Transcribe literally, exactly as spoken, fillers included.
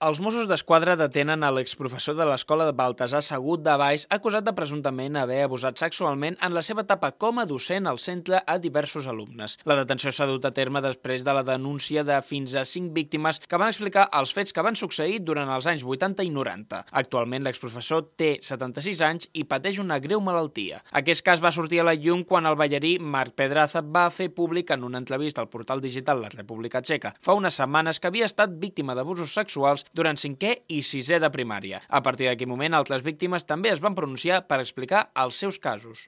Els Mossos d'Esquadra detenen a l'exprofessor de l'escola de Baltasar Sagut de Baix, acusat de presumptament haver abusat sexualment en la seva etapa com a docent al centre a diversos alumnes. La detenció s'ha dut a terme després de la denúncia de fins a cinc víctimes que van explicar els fets que van succeir durant els anys vuitanta i noranta. Actualment, l'exprofessor té setanta-sis anys i pateix una greu malaltia. Aquest cas va sortir a la llum quan el ballarí Marc Pedraza va fer públic en una entrevista al portal digital La República Txeca fa unes setmanes que havia estat víctima d'abusos sexuals durant cinquè i sisè de primària. A partir d'aquell moment, altres víctimes també es van pronunciar per explicar els seus casos.